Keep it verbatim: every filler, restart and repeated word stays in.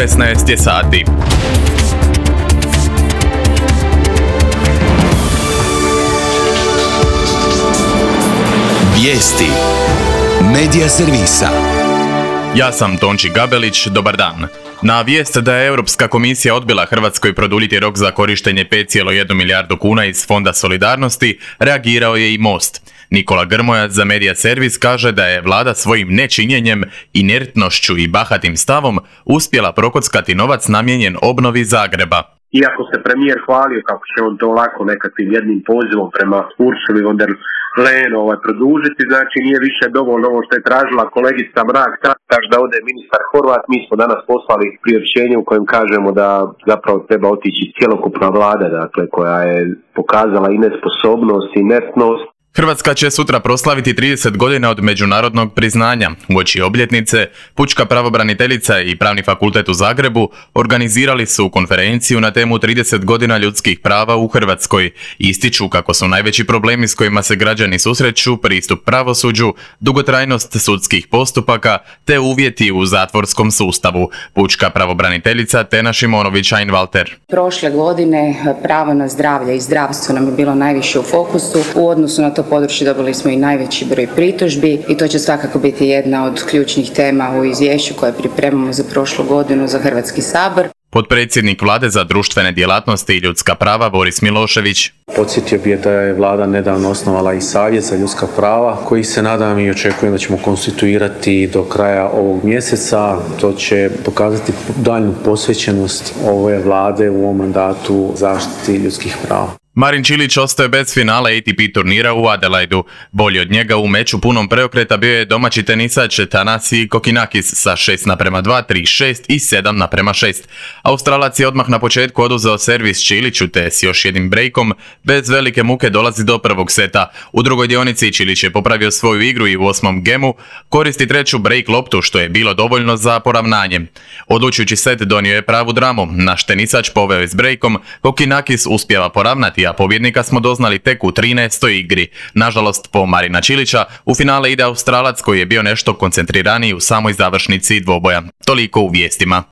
šesnaest je sati. Vijesti Medija servisa. Ja sam Tonči Gabelić, dobar dan. Na vijest da je Europska komisija odbila Hrvatskoj produljiti rok za korištenje pet zarez jedna milijardu kuna iz Fonda solidarnosti, reagirao je i Most. Nikola Grmoja za Medija servis kaže da je vlada svojim nečinjenjem, inertnošću i bahatim stavom uspjela prokockati novac namijenjen obnovi Zagreba. Iako se premijer hvalio kako će on to lako nekakvim jednim pozivom prema Ursuli von der Leyen ovaj, produžiti, znači nije više dovoljno ovo što je tražila kolegica Mrak, tako da ode ministar Horvat. Mi smo danas poslali priopćenje u kojem kažemo da zapravo treba otići cjelokupna vlada, dakle, koja je pokazala i nesposobnost i inertnost. Hrvatska će sutra proslaviti trideset godina od međunarodnog priznanja. Uoči obljetnice, Pučka pravobraniteljica i Pravni fakultet u Zagrebu organizirali su konferenciju na temu trideset godina ljudskih prava u Hrvatskoj. Ističu kako su najveći problemi s kojima se građani susreću pristup pravosuđu, dugotrajnost sudskih postupaka te uvjeti u zatvorskom sustavu. Pučka pravobraniteljica Tena Šimonović-Einwalter. Prošle godine pravo na zdravlje i zdravstvo nam je bilo najviše u fokusu. U odnosu na to područje dobili smo i najveći broj pritužbi i to će svakako biti jedna od ključnih tema u izvješću koje pripremamo za prošlu godinu za Hrvatski sabor. Potpredsjednik Vlade za društvene djelatnosti i ljudska prava Boris Milošević. Podsjetio bih da je Vlada nedavno osnovala i Savjet za ljudska prava koji se nadam i očekujem da ćemo konstituirati do kraja ovog mjeseca. To će pokazati daljnju posvećenost ove Vlade u ovom mandatu zaštiti ljudskih prava. Marin Čilić ostaje bez finala A T P turnira u Adelaidu. Bolji od njega u meču punom preokreta bio je domaći tenisač Thanasi Kokkinakis sa šest naprema dva, tri šest i sedam naprema šest. Australac je odmah na početku oduzeo servis Čiliću te s još jednim brejkom bez velike muke dolazi do prvog seta. U drugoj dionici Čilić je popravio svoju igru i u osmom gemu koristi treću brejk loptu što je bilo dovoljno za poravnanje. Odlučujući set donio je pravu dramu. Naš tenisač poveo je s brejkom, Kokkinakis uspijeva poravnati, a pobjednika smo doznali tek u trinaestoj igri. Nažalost, po Marina Čilića, u finale ide Australac koji je bio nešto koncentriraniji u samoj završnici dvoboja. Toliko u vijestima.